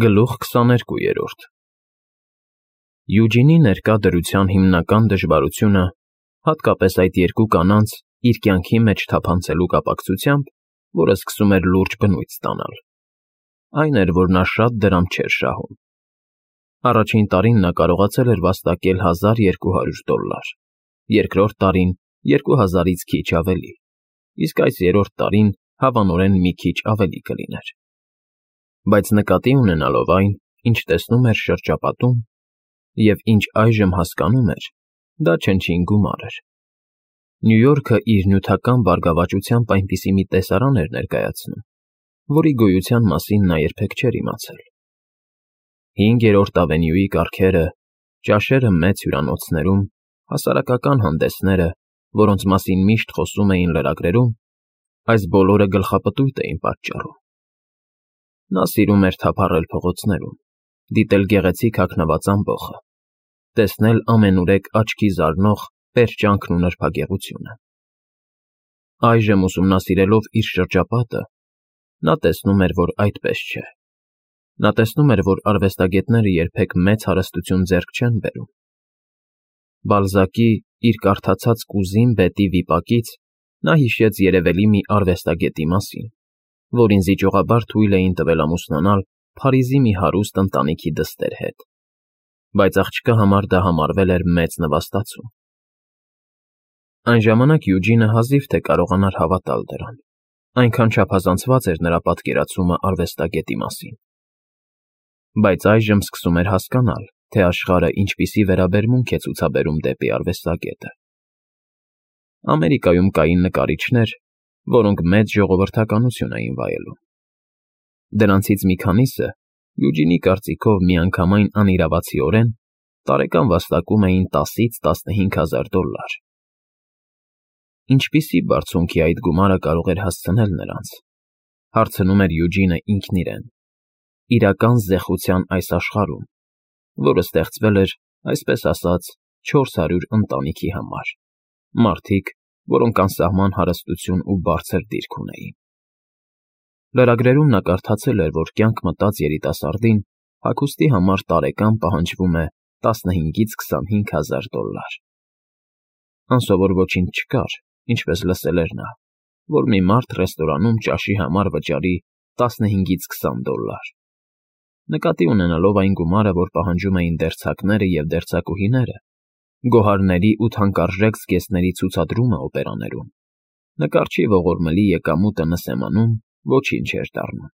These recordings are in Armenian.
Գլուխ 22 Յուջինի ներկա դրության հիմնական դժվարությունը, հատկապես այդ երկու կանանց իր կյանքի մեջ թափանցելու կապակցությամբ, որը սկսում էր լուրջ բնույթ ստանալ, այն էր, որ նա շատ դրամ չէր շահում։ Առաջին տարին նա կարողացել էր վաստակել $1200, երկրորդ տարին 2000-ից քիչ ավելի, իսկ այս երրորդ տարին հավանորեն մի քիչ ավելի կլիներ։ Բայց նկատի ունենալով այն, ինչ տեսնում էր շրջապատում, և ինչ այժմ հասկանում էր, դա չնչին գումար էր։ Նյու Յորքը իր նյութական բարգավաճությամբ այնպիսի մի տեսարան էր ներկայացնում, որի գոյության մասին նա երբեք չէր իմացել։ 5-րդ ավենյուի կառքերը, ճաշերը մեծ հյուրանոցներում, հասարակական հանդեսները, որոնց մասին միշտ խոսում էին լրագրերում, այս բոլորը գլխապտույտ էին պատճառում։ Նա սիրում էր թափառել փողոցներում, դիտել գեղեցիկ հագնված ամբոխը, տեսնել ամենուրեք աչքի զարնող պերճանքն ու նրբագեղությունը։ Այժմ ուսումնասիրելով իր շրջապատը, նա տեսնում էր, որ այդպես չէ։ Նա տեսնում էր, որ արվեստագետները երբեք մեծ հարստություն ձեռք չեն բերում։ Բալզակի իր կարդացած կուզին բետի վիպակից նա հիշեց երևելի մի արվեստագետի մասին, որին զիջողաբար թույլ էին տվել ամուսնանալ Փարիզի մի հարուստ ընտանիքի դստեր հետ, բայց աղջկա համար դա համարվել էր մեծ նվաստացում։ Այն ժամանակ Յուջինը հազիվ թե կարողանար հավատալ դրան, այնքան չափազանցված էր նրա պատկերացումը արվեստագետի մասին։ Բայց այժմ սկսում էր հասկանալ, թե աշխարհը ինչպիսի վերաբերմունք է ցուցաբերում դեպի արվեստագետը։ Ամերիկայում կային նկարիչներ, որոնք մեծ ժողովրդականություն էին վայելում։ Դրանցից մի քանիսը, Յուջինի կարծիքով միանգամայն անիրավացիորեն, տարեկան վաստակում էին $10,000–15,000։ Ինչպիսի բարձունքի այդ գումարը կարող էր հասցնել նրանց, հարցնում էր Յուջինը ինքն իրեն, իրական զեխության այս աշխարհում, որը ստեղծվել էր, այսպես ասած, 400 ընտանիքի համար, մարդիկ, որոնք անսահման հարստություն ու բարձր դիրք ունեին։ Լրագրերում նա կարդացել էր, որ կյանք մտած երիտասարդին հագուստի համար տարեկան պահանջվում է $15,000–25,000։ Անսովոր ոչինչ չկար, ինչպես լսել էր նա, որ մի մարդ ռեստորանում ճաշի համար վճարի $15–20։ Նկատի ունենալով այն գումարը, որ պահանջում էին դերձակները և դերձակուհիները, գոհարների ու թանկարժեք զգեստների ցուցադրումը օպերաներում, նկարչի ողորմելի եկամուտը նսեմանում ոչինչ էր դառնում։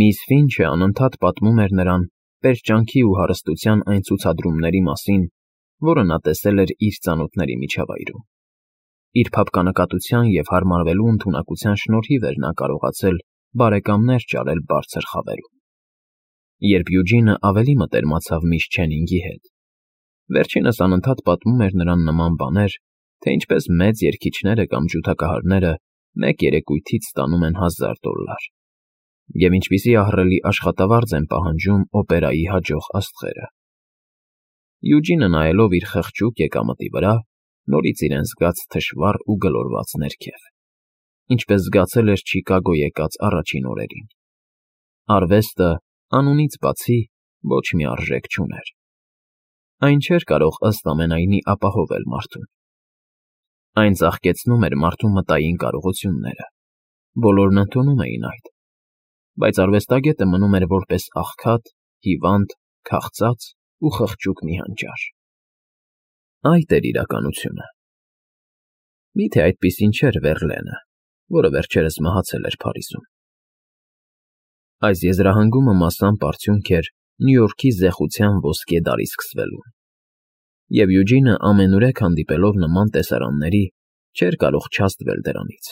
Միս Ֆինչը անընդհատ պատմում էր նրան պերճանքի ու հարստության այն ցուցադրումների մասին, որը նա տեսել էր իր ծանոթների միջավայրում։ Իր փափկանակատության և հարմարվելու ընդունակության շնորհիվ էր նա կարողացել բարեկամներ ճարել բարձր խավերում։ Երբ Յուջինը ավելի մտերմացավ միս Չենինգի հետ, վերջինս անընդհատ պատմում էր նրան նման բաներ, թե ինչպես մեծ երգիչները կամ ջութակահարները մեկ երեկույթից ստանում են $1000, և ինչպիսի ահռելի աշխատավարձ են պահանջում օպերայի հաջող աստղերը։ Յուջինը նայելով իր խղճուկ եկամտի վրա, նորից իրեն զգաց թշվառ ու գլորված ներքև, ինչպես զգացել էր Չիկագո եկած առաջին օրերին։ Արվեստը, անունից բացի, ոչ մի արժեք չուներ։ Այն չէր կարող ըստ ամենայնի ապահովել մարդուն։ Այն ծաղկեցնում էր մարդու մտային կարողությունները, բոլորն ընդունում էին այդ, բայց արվեստագետը մնում էր որպես աղքատ, հիվանդ, քաղցած ու խղճուկ մի հանճար։ Այդ էր իրականությունը։ Միթե այդպիսին չէր Վերլենը, որը վերջերս մահացել էր Փարիզում։ Այս եզրահանգումը մասամբ արդյունք էր Նյու Յորքի զեխության ոսկե դարի սկսվելուն, և Յուջինը ամենուրեք հանդիպելով նման տեսարանների, չէր կարող չազդվել դրանից։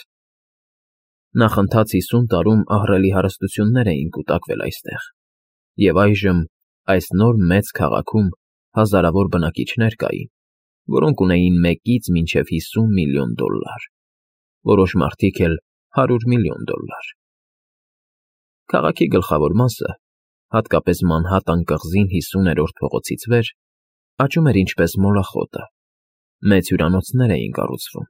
Նախընթաց 50 տարում ահռելի հարստություններ էին կուտակվել այստեղ, և այժմ այս նոր մեծ քաղաքում հազարավոր բնակիչներ կային, որոնք ունեին $1-ից մինչև $50 միլիոն, որոշ մարդիկ էլ $100 միլիոն։ Քաղաքի գլխավոր մասը, հատկապես Մանհատան կղզին 50-րդ փողոցից վեր, աճում էր ինչպես մոլախոտը, մեծ հյուրանոցներ էին կառուցվում,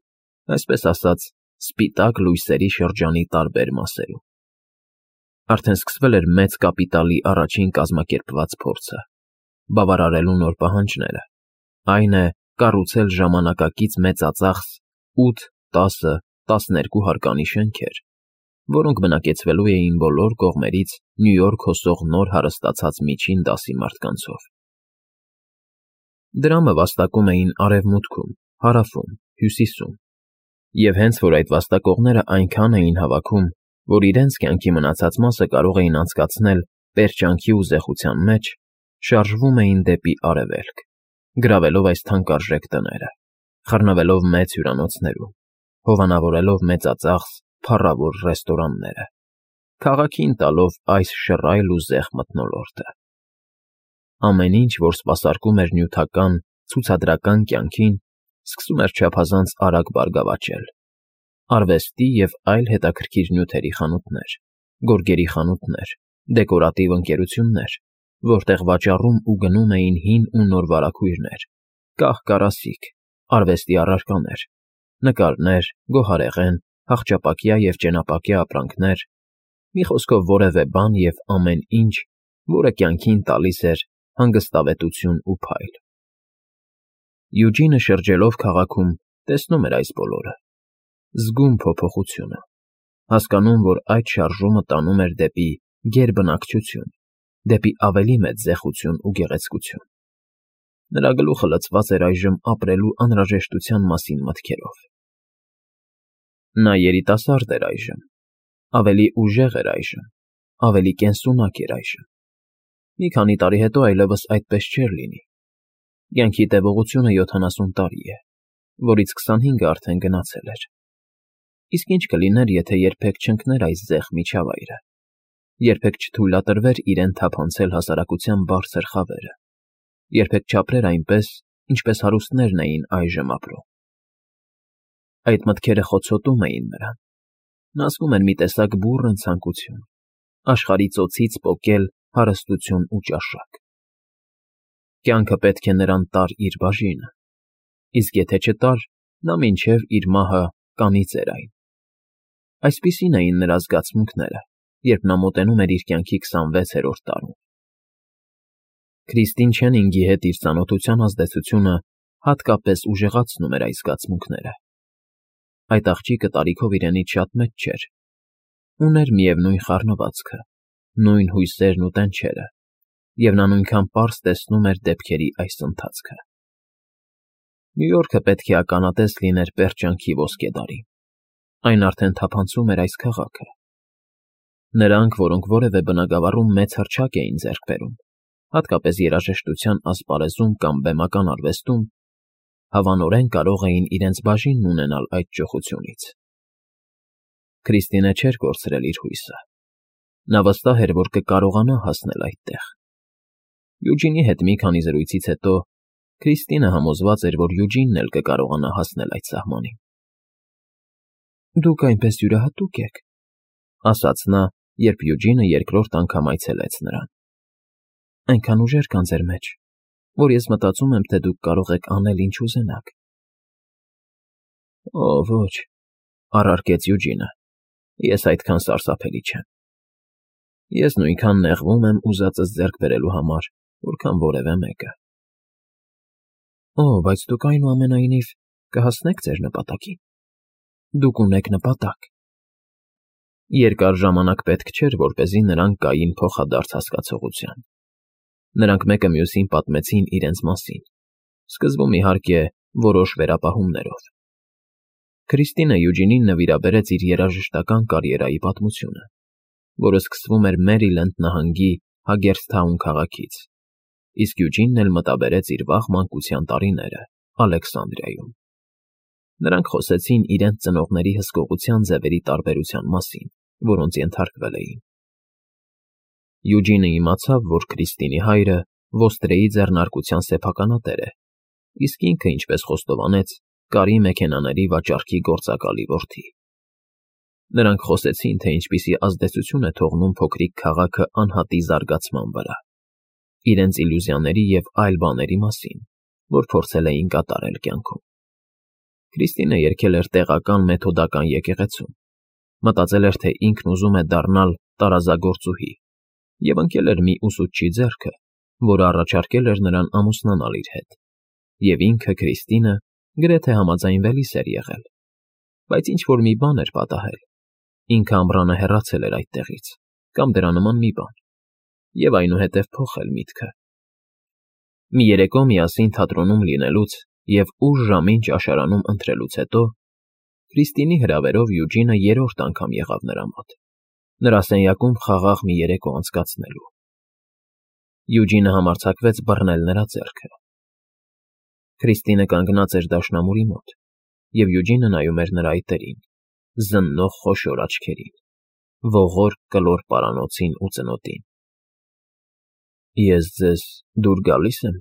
այսպես ասած, սպիտակ լույսերի շրջանի տարբեր մասերում։ Արդեն սկսվել էր մեծ կապիտալի առաջին կազմակերպված փորձը, բավարարելու նոր պահանջները, այն է, կառուցել ժամանակակից մեծածախս 8, 10, 12 հարկանի շենքեր, որոնք բնակեցվելու էին բոլոր կողմերից Նյու Յորք հոսող նոր հարստացած միջին դասի մարդկանցով։ Դրամը վաստակում էին արևմուտքում, հարավում, հյուսիսում, և հենց որ այդ վաստակողները այնքան էին հավաքում, որ իրենց կյանքի մնացած մասը կարող էին անցկացնել պերճանքի ու զեխության մեջ, շարժվում էին դեպի արևելք, գրավելով այս թանկարժեք տները, խռնվելով մեծ հյուրանոցներում, հովանավորելով մեծածախս, փառավոր ռեստորանները, քաղաքին տալով այս շռայլ ու զեղ մթնոլորտը։ Ամեն ինչ, որ սպասարկում էր նյութական, ցուցադրական կյանքին, սկսում էր չափազանց արագ բարգավաճել. արվեստի և այլ հետաքրքիր նյութերի խանութներ, գորգերի խանութներ, դեկորատիվ ընկերություններ, որտեղ վաճառում ու գնում էին հին ու նոր վարագույրներ, կահ-կարասիք, արվեստի առարկաներ, նկարներ, գոհարեղեն, հախճապակյա և ճենապակյա ապրանքներ, մի խոսքով որևէ բան և ամեն ինչ, որը կյանքին տալիս էր հանգստավետություն ու փայլ։ Յուջինը շրջելով քաղաքում տեսնում էր այս բոլորը, զգում փոփոխությունը, հասկանում, որ այդ շարժումը տանում էր դեպի գերբնակչություն, դեպի ավելի մեծ զեխություն ու գեղեցկություն։ Նրա գլուխը լցված էր այժմ ապրելու անհրաժեշտության մասին մտքերով։ Նա երիտասարդ էր այժմ, ավելի ուժեղ էր այժմ, ավելի կենսունակ էր այժմ։ Մի քանի տարի հետո այլևս այդպես չէր լինի։ Կյանքի տևողությունը 70 տարի է, որից 25-ը արդեն գնացել էր։ Իսկ ինչ կլիներ, եթե երբեք չընկներ այս զեղ միջավայրը, երբեք չթույլատրվեր իրեն թափանցել հասարակության բարձր խավերը, երբեք չապրեր այնպես, ինչպես հարուստներն էին այժմ ապրում։ Այդ մտքերը խոցոտում էին նրան։ Նա զգում էր մի տեսակ բուռն ցանկություն, աշխարհի ծոցից պոկել հարստություն ու ճաշակ։ Կյանքը պետք է նրան տար իր բաժինը, իսկ եթե չտար, նա մինչև իր մահը կանի ձեր այն։ Այսպիսին էին նրա զգացմունքները, երբ նա մոտենում էր իր կյանքի 26-րդ տարուն։ Քրիստին Չենինգի հետ իր ծանոթության ազդեցությունը հատկապես ուժեղացնում էր այս զգացմունքները։ Այդ աղջիկը տարիքով իրենից շատ մեծ չէր, ուներ միևնույն խառնվածքը, նույն հույսերն ու տենչերը, և նա նույնքան պարզ տեսնում էր դեպքերի այս ընթացքը։ Նյու Յորքը պետք է ականատես լիներ պերճանքի ոսկեդարին։ Այն արդեն թափանցում էր այս քաղաքը։ Նրանք, որոնք որևէ բնագավառում մեծ հռչակ էին ձեռք բերում, հատկապես երաժշտության ասպարեզում կամ բեմական արվեստում, հավանորեն կարող էին իրենց բաժինն ունենալ այդ ճոխությունից։ Քրիստինը չէր կորցրել իր հույսը։ Նա վստահ էր, որ կկարողանա հասնել այդտեղ։ Յուջինի հետ մի քանի զրույցից հետո Քրիստինը համոզված էր, որ Յուջինն էլ կկարողանա հասնել այդ սահմանին։ «Դուք այնպես յուրահատուկ եք», ասաց նա, երբ Յուջինը երկրորդ անգամ այցելեց նրան։ «Այնքան ուժեր կան ձեր մեջ, որ ես մտածում եմ, թե դուք կարող եք անել, ինչ ուզենաք»։ «Օ, ոչ», առարկեց Յուջինը, «ես այդքան սարսափելի չեմ։ Ես նույնքան նեղվում եմ ուզածս ձեռք բերելու համար, որքան որևէ մեկը»։ «Օ, բայց դուք այնուամենայնիվ կհասնեք ձեր նպատակին։ Դուք ունեք նպատակ»։ Երկար ժամանակ պետք չէր, որպեսզի նրանք գային փոխադարձ հասկացողության։ Նրանք մեկը մյուսին պատմեցին իրենց մասին, սկզբում, իհարկե, որոշ վերապահումներով։ Քրիստինը Յուջինին նվիրաբերեց իր երաժշտական կարիերայի պատմությունը, որը սկսվում էր Մերիլենդ նահանգի Հագերսթաուն քաղաքից, իսկ Յուջինն էլ մտաբերեց իր վաղ մանկության տարիները Ալեքսանդրիայում։ Նրանք խոսեցին իրենց ծնողների հսկողության ձևերի տարբերության մասին, որոնց ենթարկվել էին։ Յուջինը իմացավ, որ Քրիստինի հայրը ոստրեի ձեռնարկության սեփականատեր է, իսկ ինքը, ինչպես խոստովանեց, կարի մեքենաների վաճառքի գործակալի որդի։ Նրանք խոսեցին, թե ինչպիսի ազդեցություն է թողնում փոքրիկ քաղաքը անհատի զարգացման վրա, իրենց իլյուզիաների և այլ բաների մասին, որ փորձել էին կատարել կյանքում։ Քրիստինը երգել էր տեղական մեթոդական եկեղեցում, մտածել էր, թե ինքն ուզում է դառնալ տարազագործուհի, և ընկել էր մի ուսուցչի ձեռքը, որը առաջարկել էր նրան ամուսնանալ իր հետ, և ինքը, Քրիստինը, գրեթե համաձայնվելիս էր եղել, բայց ինչ֊որ մի բան էր պատահել, ինքը ամռանը հեռացել էր այդտեղից, կամ դրա նման մի բան, և այնուհետև փոխել միտքը։ Մի երեկո միասին թատրոնում լինելուց և ուշ ժամին ճաշարանում ընթրելուց հետո Քրիստինի հրավերով Յուջինը երրորդ անգամ եղավ նրա մոտ, նրա սենյակում խաղաղ մի երեկո անցկացնելու։ Յուջինը համարձակվեց բռնել նրա ձեռքը։ Քրիստինը կանգնած էր դաշնամուրի մոտ, և Յուջինը նայում էր նրա այտերին, զննող խոշոր աչքերին, ողոր կլոր պարանոցին ու ծնոտին։ «Ես ձեզ դուր գալի՞ս եմ»,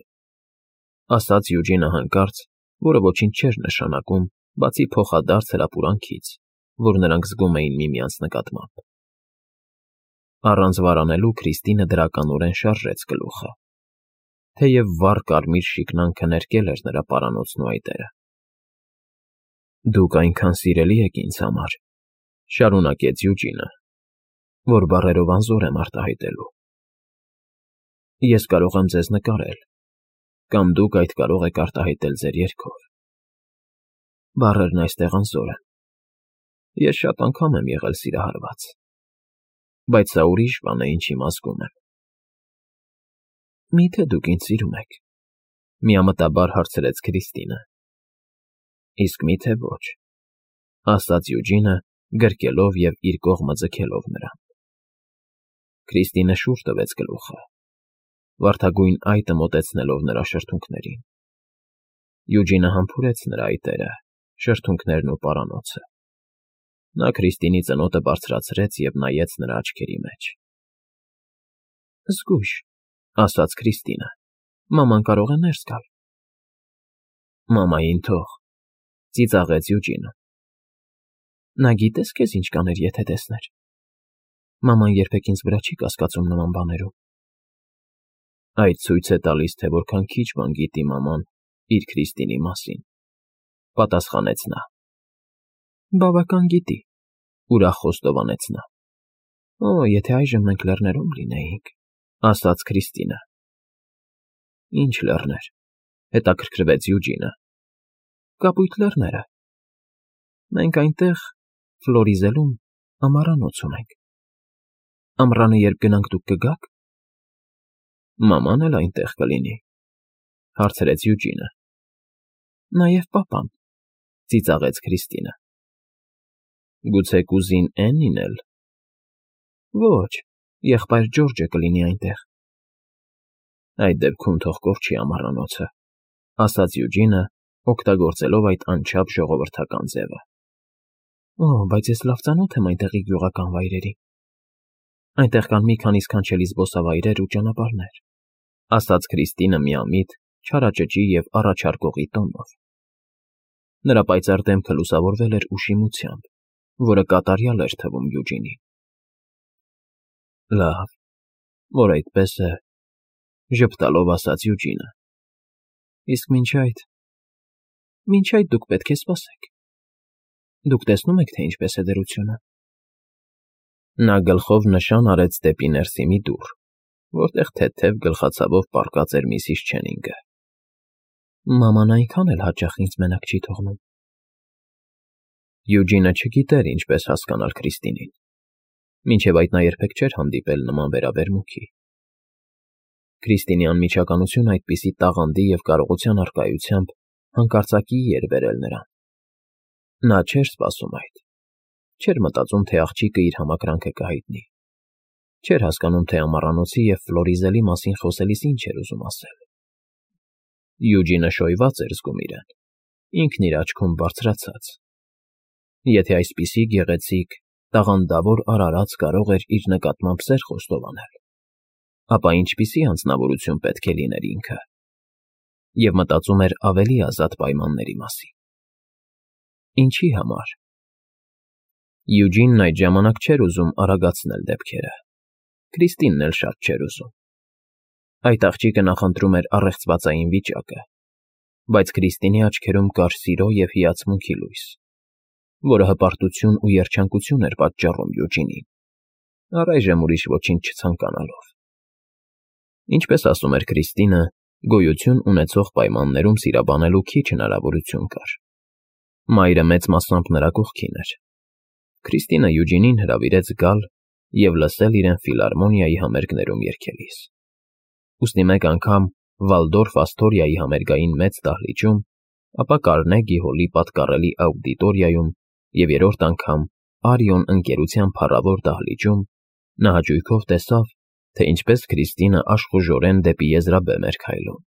ասաց Յուջինը հանկարծ, որը ոչինչ չէր նշանակում, բացի փոխադարձ հրապուրանքից, որ նրանք զգում էին միմյանց նկատմամբ։ Առանց վարանելու Քրիստինը դրականորեն շարժեց գլուխը, թեև վառ կարմիր շիկնանքը ներկել էր նրա պարանոցն ու այտերը։ «Դուք այնքան սիրելի եք ինձ համար», շարունակեց Յուջինը, «որ բառերով անզոր եմ արտահայտելու։ Ես կարող եմ ձեզ նկարել, կամ դուք այդ կարող եք արտահայտել ձեր երգով։ Բառերն այստեղ անզոր են։ Ես շատ անգամ եմ եղել սիրահարված, բայց սա ուրիշ բան է, ինչ հիմա զգում եմ»։ «Մի՞թե դուք ինձ սիրում եք», միամտաբար հարցրեց Քրիստինը։ «Իսկ մի՞թե ոչ», ասաց Յուջինը, գրկելով և իր կողմը ձգելով նրան։ Քրիստինը շուռ տվեց գլուխը, վարդագույն այտը մոտեցնելով նրա շրթունքներին։ Յուջինը համբուրեց նրա այտերը, շրթունքներն ու պարանոցը։ Նա Քրիստինի ծնոտը բարձրացրեց և նայեց նրա աչքերի մեջ։ «Զգույշ», ասաց Քրիստինը, «մաման կարող է ներս գալ»։ «Մամային թող», ծիծաղեց Յուջինը։ «Նա գիտես քեզ ինչ կաներ, եթե տեսներ։ Մաման երբեք ինձ վրա չի կասկածում նման բաներում»։ «Այդ ցույց է տալիս, թե որքան քիչ բան գիտի մաման իր Քրիստինի մասին», պատասխանեց նա։ «Բավական գիտի», ուրախ խոստովանեց նա։ «Օ, եթե այժմ մենք լեռներում լինեինք», ասաց Քրիստինը։ «Ինչ լեռներ», հետաքրքրվեց Յուջինը։ «Կապույտ լեռները։ Մենք այնտեղ, Ֆլորիզելում, ամառանոց ունենք։ Ամռանը երբ գնանք, դուք կգա՞ք»։ «Մաման էլ այնտեղ կլինի», հարցրեց Յուջինը։ «Նաև պապան», ծիծաղեց Քրիստինը։ «Գուցե կուզին Էնին էլ»։ «Ոչ, եղբայր Ջորջը կլինի այնտեղ»։ «Այդ դեպքում թող կորչի ամառանոցը», ասաց Յուջինը, օգտագործելով այդ անչափ ժողովրդական ձևը։ «Օ, բայց ես լավ ծանոթ եմ այնտեղի գյուղական վայրերին։ Այնտեղ կան մի քանի սքանչելի զբոսավայրեր ու ճանապարհներ», ասաց Քրիստինը միամիտ, չարաճճի և առաջարկողի տոնով։ Նրա պայծառ դեմքը լուսավորվել էր ուշիմությամբ, որը կատարյալ էր թվում Յուջինին։ «Լավ, որ այդպես է», ժպտալով ասաց Յուջինը։ «Իսկ մինչ այդ դուք պետք է սպասեք։ Դուք տեսնում եք, թե ինչպես է դրությունը»։ Նա գլխով նշան արեց դեպի ներսի մի դուռ, որտեղ թեթև գլխացավով պառկած էր Միսիս Չենինգը։ «Մաման այնքան էլ հաճախ ինձ մենակ չի թողնում»։ Յուջինը չգիտեր ինչպես հասկանալ Քրիստինին, մինչև այդ նա երբեք չէր հանդիպել նման վերաբերմունքի։ Քրիստինի անմիջականությունը այդպիսի տաղանդի և կարողության առկայությամբ հանկարծակիի էր բերել նրան։ Նա չէր սպասում այդ, չէր մտածում, թե աղջիկը իր համակրանքը կհայտնի, չէր հասկանում, թե ամառանոցի և Ֆլորիզելի մասին խոսելիս ինչ էր ուզում ասել։ Յուջինը շոյված էր զգում իրեն, ինքն իր աչքում բարձրացած։ Եթե այսպիսի գեղեցիկ, տաղանդավոր արարած կարող էր իր նկատմամբ սեր խոստովանել, ապա ինչպիսի անձնավորություն պետք է լիներ ինքը։ Եվ մտածում էր ավելի ազատ պայմանների մասին։ Ինչի համար։ Յուջինն այդ ժամանակ չէր ուզում արագացնել դեպքերը։ Քրիստինն էլ շատ չէր ուզում։ Այդ աղջիկը նախընտրում էր առեղծվածային վիճակը, բայց Քրիստինի աչքերում կար սիրո և հիացմունքի լույս, որը հպարտություն ու երջանկություն էր պատճառում Յուջինին։ առայժմ ուրիշ ոչինչ չցանկանալով։ Ինչպես ասում էր Քրիստինը, գոյություն ունեցող պայմաններում սիրաբանելու քիչ հնարավորություն կար։ Մայրը մեծ մասամբ նրա կողքին էր։ Քրիստինը Յուջինին հրավիրեց գալ և լսել իրեն ֆիլհարմոնիայի համերգներում երգելիս։ Ուստի մեկ անգամ Վալդորֆ Ասթորիայի համերգային մեծ դահլիճում, ապա Կարնեգի հոլի պատկառելի աուդիտորիայում և երրորդ անգամ Արիոն ընկերության փառավոր դահլիճում նա հաճույքով տեսավ, թե ինչպես Քրիստինը աշխուժորեն դեպի եզրաբեմ էր քայլում,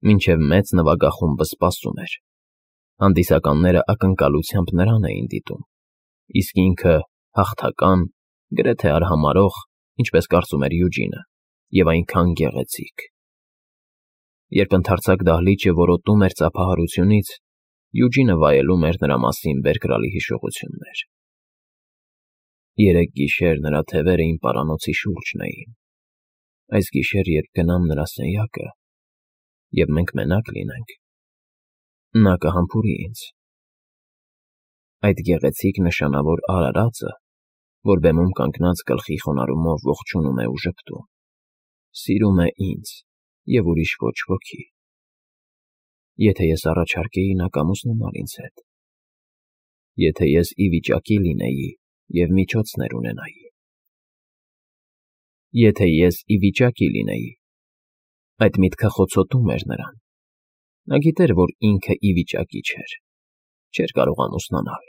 մինչև մեծ նվագախումբը սպասում էր։ Հանդիսականները ակնկալությամբ նրան էին դիտում, իսկ ինքը հաղթական, գրեթե արհամարհող, ինչպես կարծում էր Յուջինը, և այնքան գեղեցիկ։ Երբ ընդարձակ դահլիճը որոտում էր ծափահարությունից, Յուջինը վայելում էր նրա մասին բերկրալի հիշողություններ։ Երեկ գիշեր նրա թևերը իմ պարանոցի շուրջն էին։ Այս գիշեր, երբ գնամ նրա սենյակը, և մենք մենակ լինենք, նա կհամբուրի ինձ։ Այդ գեղեցիկ նշանավոր արարածը, որ բեմում կանգնած գլխի խոնարհումով ողջունում է ու ժպտում, սիրում է ինձ և ուրիշ ոչ ոքի։ Եթե ես առաջարկեի, նա կամուսնանար ինձ հետ։ Եթե ես ի վիճակի լինեի և միջոցներ ունենայի։ Եթե ես ի վիճակի լինեի։ Այդ միտքը խոցոտում էր նրան։ Նա գիտեր, որ ինքը ի վիճակի չէր կարող ամուսնանալ։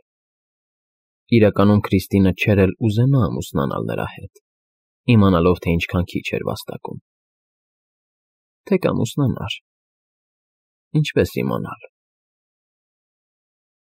Իրականում Քրիստինը չէր էլ ուզենա ամուսնանալ նրա հետ, իմանալով, թե ինչքան քիչ էր վաստակում։ Թե կամուսնանար։ Ինչպես իմանալ։